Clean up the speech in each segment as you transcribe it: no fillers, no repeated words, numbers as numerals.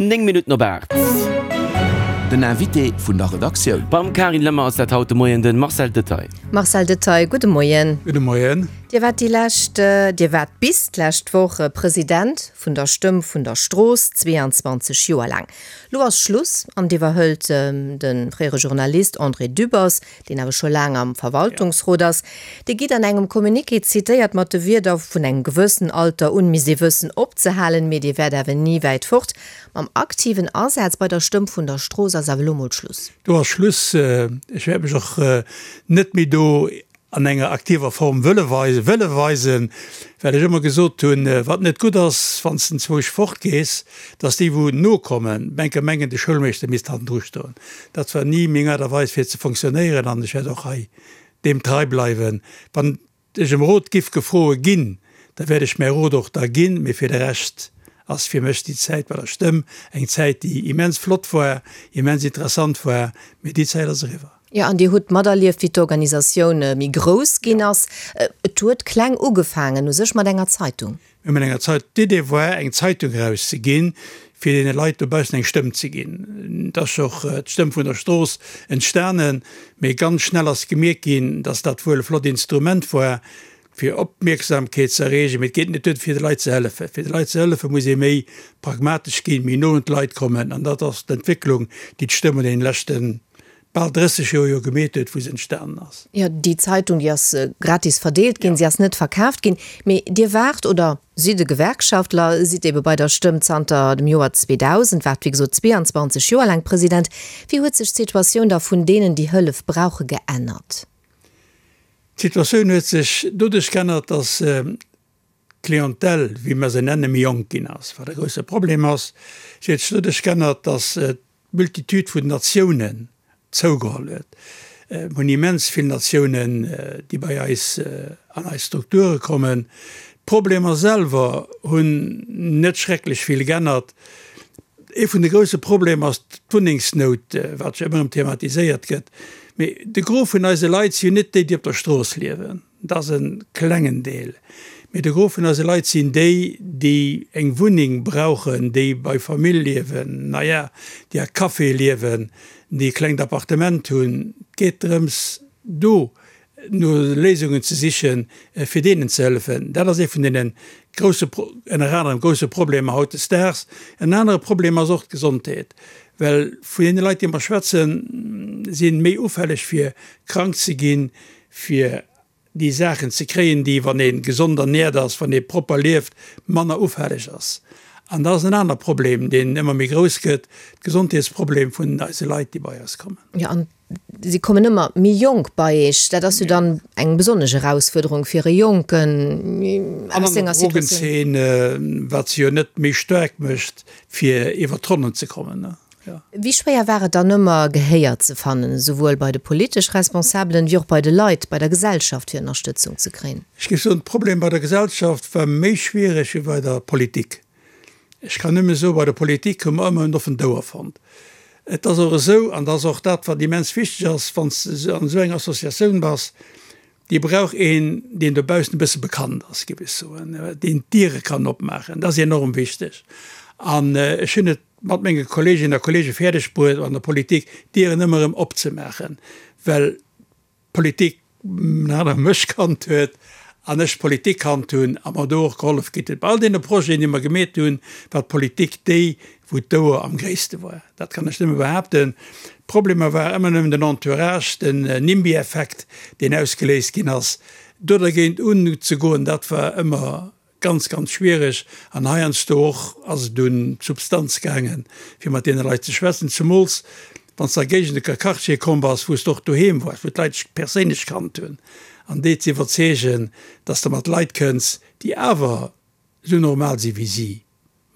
9 Minutten op 8. Den Invité vun der Redaktioun. Beim Carine Lemmer ass dat haut de Moien de Marcel Detaille. Marcel Detaille, gudde Moien. Gudde Moien. Dir waart déi lescht, Dir waart bis d'lescht Woch President vun der Stëmm vun der Strooss, 22 Joer laang. Lo ass Schluss an et iwwerhëlt de fréiere Journalist André Dübbers, deen awer scho laang am Verwaltungsrot ass, dee gitt an engem Communiqué zitéiert mat de Wierder, Vun engem gewëssen Alter un misst ee wëssen opzehalen, mee Dir wäert awer ni wäit fort. Mam aktiven Asaz bei der Stëmm vun der Strooss ass awer elo mol Schluss. Do ass Schluss. Ech wäert mech och net méi do an enger aktiver Form wëlle weisen, well ech ëmmer gesot hunn, wat net gutt ass, wann s de enzwousch fortgees, dass déi wou nokommen, menke mengen, de Schoulmeeschter misst hannendru stoen. Dat war ni meng Aart a Weis fir ze fonctionnéieren an ech wäert och hei deem trei bleiwen. Wann ech ëm Rot giff gefroe ginn, da wäert ech mäi Rot och da ginn, mee fir de Rescht ass fir mech déi Zäit bei der Stëmm eng Zäit, déi immens flott war, immens interessant war, mee déi Zäit ass eriwwer. Jo, an Dir hutt materlieft, wéi d'Organisatioun méi grouss ginn ass. Et huet kleng ugefaangen, u sech mat enger Zeitung. Mir hu mat enger Zeit, d'Idee war, eng Zeitung erauszeginn, fir deene Leit dobaussen eng Stëmm ze ginn. Et ass och d'Stëmm vun der Strooss entstanen, mee ganz schnell ass gemierkt ginn, dass dat wuel e flott Instrument war, fir Opmierksamkeet ze erreegen, mee et geet net duer, fir de Leit ze hëllefen. Fir de Leit ze hëllefen, muss ee méi pragmatesch ginn, méi no un d'Leit kommen, an dat ass d'Entwécklung, déi d'Stëmm an deene leschten bal 30 Joer jo gemeet huet, wou se entstanen ass. Jo, déi Zeitung, déi ass gratis verdeelt ginn, si ass net verkaaft ginn. Mee Dir waart oder sidd e Gewerkschaftler, sidd ebe bei der Stëmm zanter dem Joer 2000, waart wéi gesot 22 Joer laang President. Wéi huet sech d'Situatioun da vun deenen, déi Hëllef brauche, geännert? D'Situatioun huet sech doduerch geännert, datt d'Clientèle, wéi mer se nennen, méi jonk ginn ass, wat e grousse Problem ass. Si huet sech doduerch geännert, datt d'Multitude vun Natiounen zougeholl huet. Mir hunn immens vill Natiounen, déi bei eis an eis Strukture kommen. D'Problemer selwer hunn net schrecklech vill geännert. Ee vun de grousse Problemer ass d'Wunnengsnout, wat jo ëmmer erëm thematiséiert gëtt. Mee de Gros vun eise Leit si jo net déi, déi op der Strooss liewen. Dat ass e klengen Deel. Mee de Gros vun eise Leit sinn déi, déi eng Wunneng brauchen, déi bei Famill liewen, na ja, déi a Caféë liewen, déi e klengt Appartement hunn. Et geet drëms, do no Léisungen ze sichen, fir deenen ze hëllefen. Dat ass ee vun deene grousse, ënner anerem grousse Problemer hautdesdaags. En anere Problem ass och d'Gesondheet, well vun deene Leit, déi mer schwätzen, si méi ufälleg fir krank ze ginn, fir déi Saachen ze kréien, déi, wann ee gesond ernährt ass, wann ee propper lieft, manner ufälleg ass. An dat ass en aner Problem, deen ëmmer méi grouss gëtt, d'Gesondheetsproblem vun eise Leit, déi bei eis kommen. Jo, an si kommen ëmmer méi jonk bei Iech. Dat ass jo dann eng besonnesch Erausfuerderung fir e Jonken aus senger Situatioun. An an der Drogenzeen, wat se jo net méi staark mécht, fir iwwer d'Ronnen ze kommen. Wéi schwéier war et dann ëmmer, Gehéier ze fannen, esouwuel bei de politesch Responsabelen, wéi och bei de Leit, bei der Gesellschaft, fir Ënnerstëtzung ze kréien? Ech géif soen, d'Problem bei der Gesellschaft war méi schwiereg wéi bei der Politik. Ech kann nëmme soen, bei der Politik hu mer ëmmer en offent Ouer fonnt. Et ass och esou, an dat ass och dat, wat immens wichteg ass, wann s de an esou enger Associatioun bass, Déi brauch een, deen dobaussen e bësse bekannt ass, géif ech soen, deen d'Diere kann opmaachen. Dat ass enorm wichteg. An ech hunn et mat menge Kolleeginnen a Kolleege fäerdeg bruet, an der Politik d'Dieren ëmmer erëm opzemaachen, well d'Politik ënner anerem mech kannt huet an ech d'Politik kannt hunn a mer do och gehollef kritt huet. Bei all deene Projeten, déi mer gemeet hunn, war d'Politik déi, wou d'Ouer am gréisste war. Dat kann ech nëmme behaapten. D'Problemer war ëmmer nëmmen den Entourage, den NIMBY-Effekt, deen ausgeléist ginn ass. Do dergéint unzegoen, dat war ëmmer ganz, ganz schwiereg. An heiansdo och ass et un d'Substanz gaangen, fir mat deene Leit ze schwätzen, zemools wann s de a Géigende, a Quartiere komm bass, wou s de och doheem waars, wou d'Leit dech perséinlech kannt hunn, an déi ze iwwerzeegen, dass de mat Leit kënns, déi awer esou normal si wéi si.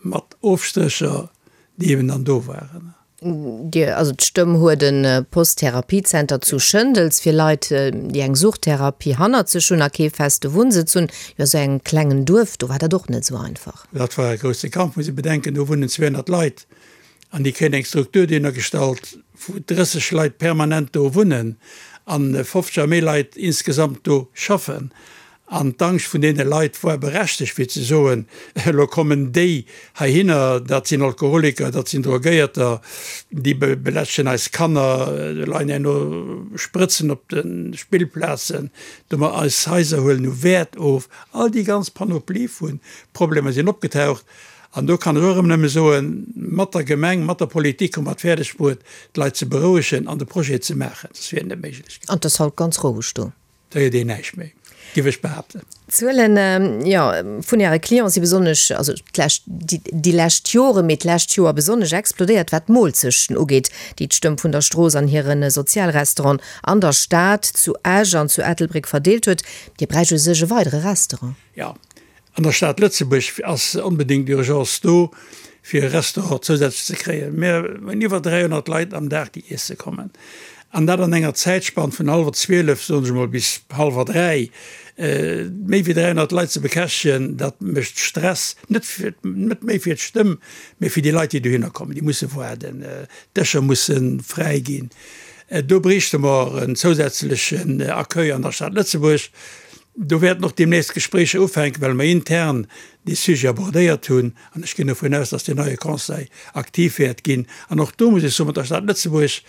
Mat Ofstrécher, déi eben dann do waren. Dir, also d'Stëmm huet e Post-Therapie-Zenter zu Schëndels fir Leit, déi eng Suchttherapie hannert sech hunn a kee feste Wunnsëtz hunn. Jo, esou engem klengen Duerf, do war dat och net esou einfach. Dat war e grousse Kampf, muss ee bedenken, do wunnen 200 Leit an déi kréien eng Struktur dohinner gestallt, wou 30 Leit permanent do wunnen an 50 a méi Leit insgesamt do schaffen. An d'Angscht vun deene Leit war berechtegt, fir ze soen, Elo kommen déi heihinner, dat sinn Alkoholiker, dat sinn Drogéierter, déi belästegen eis Kanner, do leien herno Sprëtzen op de Spillplazen, domat eis Haiser huelen u Wäert of. All déi ganz Panoplie vu Problemer sinn opgetaucht. An do kann ech och erëm nëmme soen, mat der Gemeng, mat der Politik hu mer et fäerdeg bruet, d'Leit ze berouegen an de Projet ze maachen, soss wier et net méiglech gewiescht. An et ass haut ganz roueg do. Da héiert een näischt méi, géif ech behaapten. D'Zuelen, jo, vun Äre Clienten si besonnesch, also d'lescht, déi lescht Joren, mee d'lescht Joer besonnesch explodéiert, wat d'Moolzechten ugeet, déi d'Stëmm vun der Strooss an hire Sozialrestaurant an der Stad, zu Esch an zu Ettelbréck verdeelt huet. Dir bräicht u sech e weidere Restaurant. Jo, An der Stad Lëtzebuerg ass onbedéngt Urgence do, fir e Restaurant zousätzlech ze kréien. Mir hunn iwwer 300 Leit am Dag, déi iesse kommen. An dat an enger Zäitspann vun hallwer 12, soen ech emol, bis hallwer 3. Méi wéi 300 Leit ze bekäschtegen, dat mécht Stress, net fir, net méi fir d'Stëmm, mee fir déi Leit, déi dohinner kommen. Déi musse waarden, d'Dëscher musse fräi ginn. Do bréichte mer en zousätzlechen Accueil an der Stad Lëtzebuerg. Do wäerten och deemnächst Gespréicher ufänken, well mer intern dee Sujet abordéiert hunn. An ech ginn dovun aus, dass deen neie Conseil aktiv wäert ginn. An och do muss ech soen, mat der Stad Lëtzebuerg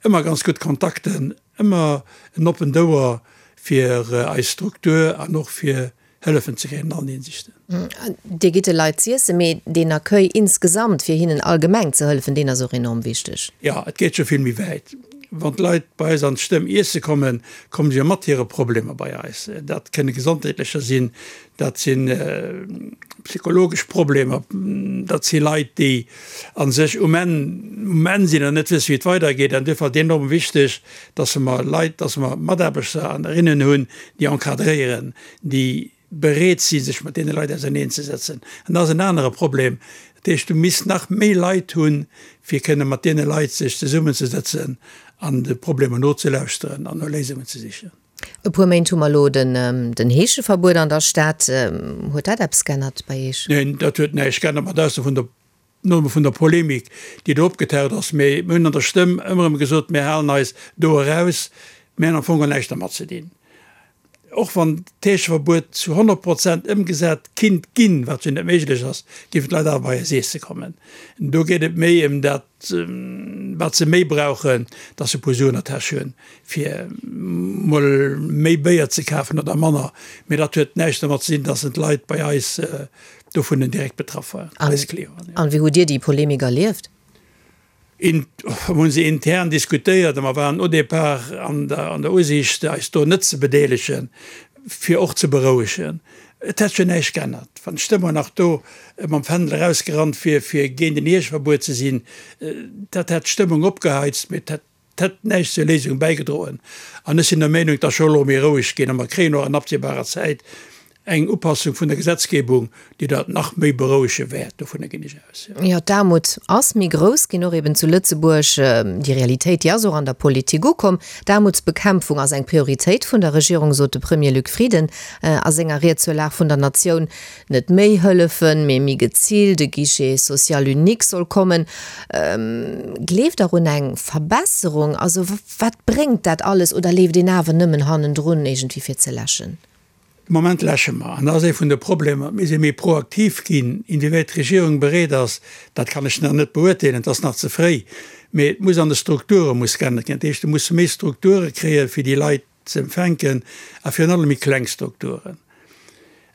ëmmer ganz gutt Kontakten, ëmmer en oppent Ouer fir eis Struktur an och fir Hëllefen ze kréien an allen Hinsichten. Dir gitt de Leit z'iessen, mee deen Accueil insgesamt, fir hinnen allgemeng ze hëllefen, deen ass och enorm wichteg. Jo, et geet scho vill méi wäit. Wann d'Leit bei eis an d'Stëmm iesse kommen, komme se jo mat hire Problemer bei eis. Dat kënne gesondheetlecher sinn, dat si psychologesch Problemer, dat si Leit, déi a sech um Enn, um Enn sinn an net wësse wéi et weidergeet. An duerfir ass et enorm wichteg, dass mer Leit, dass mer Mataarbechter an Erinnen hunn, déi encadréieren, déi bereet si sech mat deene Leit auserneenzesetzen. An dat ass en anere Problem. Dat heescht, du misst nach méi Leit hunn, fir kënne mat deene Leit sech zesummenzesetzen an de Problemer nozelauschteren an no Léisungen ze sichen. E puer Méint hu mer elo den Heescheverbuet an der Stad. Huet dat eppes g'ännert bei Iech? Neen, dat huet näischt g'ännert, mat Ausnam vun der Nëmme vun der Polemik, déi do opgetaucht ass, mee mir hunn an der Stëmm ëmmer erëm gesot, mir halen eis do eraus, mir hunn am Fong geholl näischt dermat ze dinn. Och wann d'Heescheverbuet zu 100 Prozent ëmgesat kinnt ginn, wat jo net méiglech ass, géifen d'Leit awer bei eis iesse kommen. Do geet et méi ëm dat, wat se méi brauchen, dass se e puer Suen an der Täsch hunn, fir mol méi Béier ze kafen oder manner. Mee dat huet näischt dermat ze dinn, dass d'Leit bei eis dovun direkt betraff waren, eis Clienten. An wéi hutt Dir déi Polemik erlieft? Mir hunn se intern diskutéiert a mer waren au départ an der Usiicht, eis do net ze bedeelegen, fir och ze berouegen. Et hätt jo näischt geännert, wann d'Stëmmung nach do mam Fändel erausgerannt wier, fir géint en Heescheverbuet ze sinn. Dat hätt d'Stëmmung opgeheizt, mee et hätt Et hätt näischt zur Léisung bäigedroen. An ech sinn der Meenung, et ass scho elo méi roueg ginn a mer kréien och an absehbarer Zäit eng Upassung vun der Gesetzgebung, déi dat nach méi berouege wäert. Dovunner ginn ech aus, jo. Jo, d'Aarmut ass méi grouss ginn, och eben zu Lëtzebuerg. Déi Realitéit, déi ass och an der Politik ukomm. D'Aarmutsbekämpfung ass eng Prioritéit vun der Regierung, sot de Premier Luc Frieden a senger Ried zur Lag vun der Natioun. Net méi hëllefen, mee méi geziilt, e Guichet social unique soll kommen. Gleeft Der un eng Verbesserung? Also wat bréngt dat alles? Oder leeft een awer nëmmen hannendrun iergendwéi fir ze läschen? De Moment läsche mer. An dat ass ee vun de Problemer. Mir si méi proaktiv ginn. Inwiewäit d'Regierung bereet ass, dat kann ech nach net beurteelen, et ass nach ze fréi. Mee et muss an de Strukture muss geännert ginn. Dat heescht, et musse méi Strukture kréien, fir déi Leit ze empfänken a virun allem méi kleng Strukturen.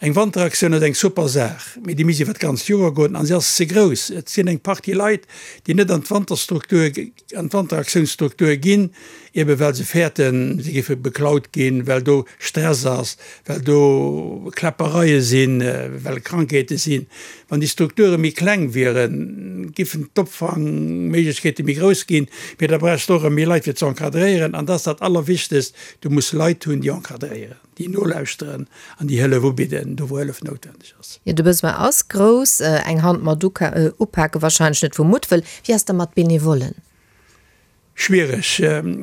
Eng Wanteraktioun ass eng super Saach, mee déi misst iwwer d'ganzt Joer goen an si ass ze grouss. Et sinn eng Partie Leit, déi net an d'Wanterstruktur, an d'Wanteraktiounsstruktur ginn, ebe well se fäerten, se géife beklaut ginn, well do Stress ass, well do Kläppereie sinn, well Krankheete sinn. Wann déi Strukture méi kleng wieren, giffen d'Opfangméiglechkeete méi grouss ginn, mee da bräichs de och erëm méi Leit fir ze encadréieren. An dat ass dat Allerwichtegst, Du muss Leit hunn, déi encadréieren, déi nolauschteren an déi Hëllef ubidden, do wou Hëllef noutwendeg ass. Jo, de Besoin ass grouss. Eng Hand mat upake wahrscheinlech net vu Muttwëll. Wéi ass da mat Benevollen? Schwiereg.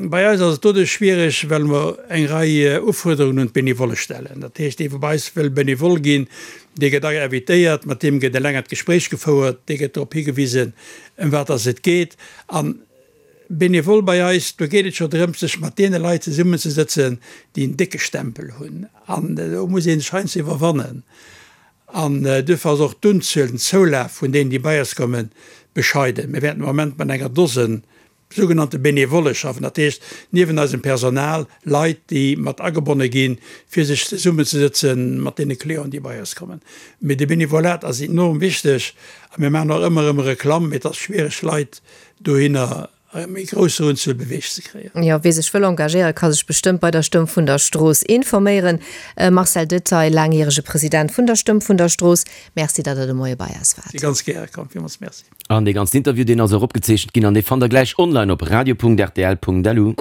Bei eis ass et doduerch schwiereg, well mer eng Rei Ufuerderungen un d'Benevolle stellen. Dat heescht, dee wou bei eis wëll Benevole ginn, dee gëtt invitéiert, mat deem gëtt e längert Gespréich gefouert, dee gëtt drop higewisen, ëm wat dass et geet. A. Benevole bei eis, do geet et scho drëms, sech mat deene Leit zesummenzesëtzen, déi en décke Stempel hunn. An do muss ee sech heiansdo iwwerwannen. An duerfir ass och d'Unzuel, den Zoulaf vun deenen, déi bei eis kommen, bescheiden. Mir wäerten am Moment mat enger Dosen sougenannte Benevolle schaffen, dat heescht niewen eisem Personal Leit, déi mat agebonne ginn, fir sech zesummenzesëtze mat deene Clienten, déi bei eis kommen. Mee de Benevolat ass enorm wichteg a mir maachen och ëmmer erëm Reklamm, mee et ass schwiereg, Leit dohinner a méi grousser Unzuel beweegt ze kréien. Jo, wie sech wëll engagéieren, ka sech bestëmmt bei der Stëmm vun der Strooss informéieren. Marcel Detaille, laangjärege President vun der Stëmm vun der Strooss, Merci, datt Der de Moie bei eis waart. Si ganz gäre komm. Villmools Merci. An dee ganzen Interview, deen ass och opgezeechent ginn an dee fannt Der gläich online op radio.rtl.lu.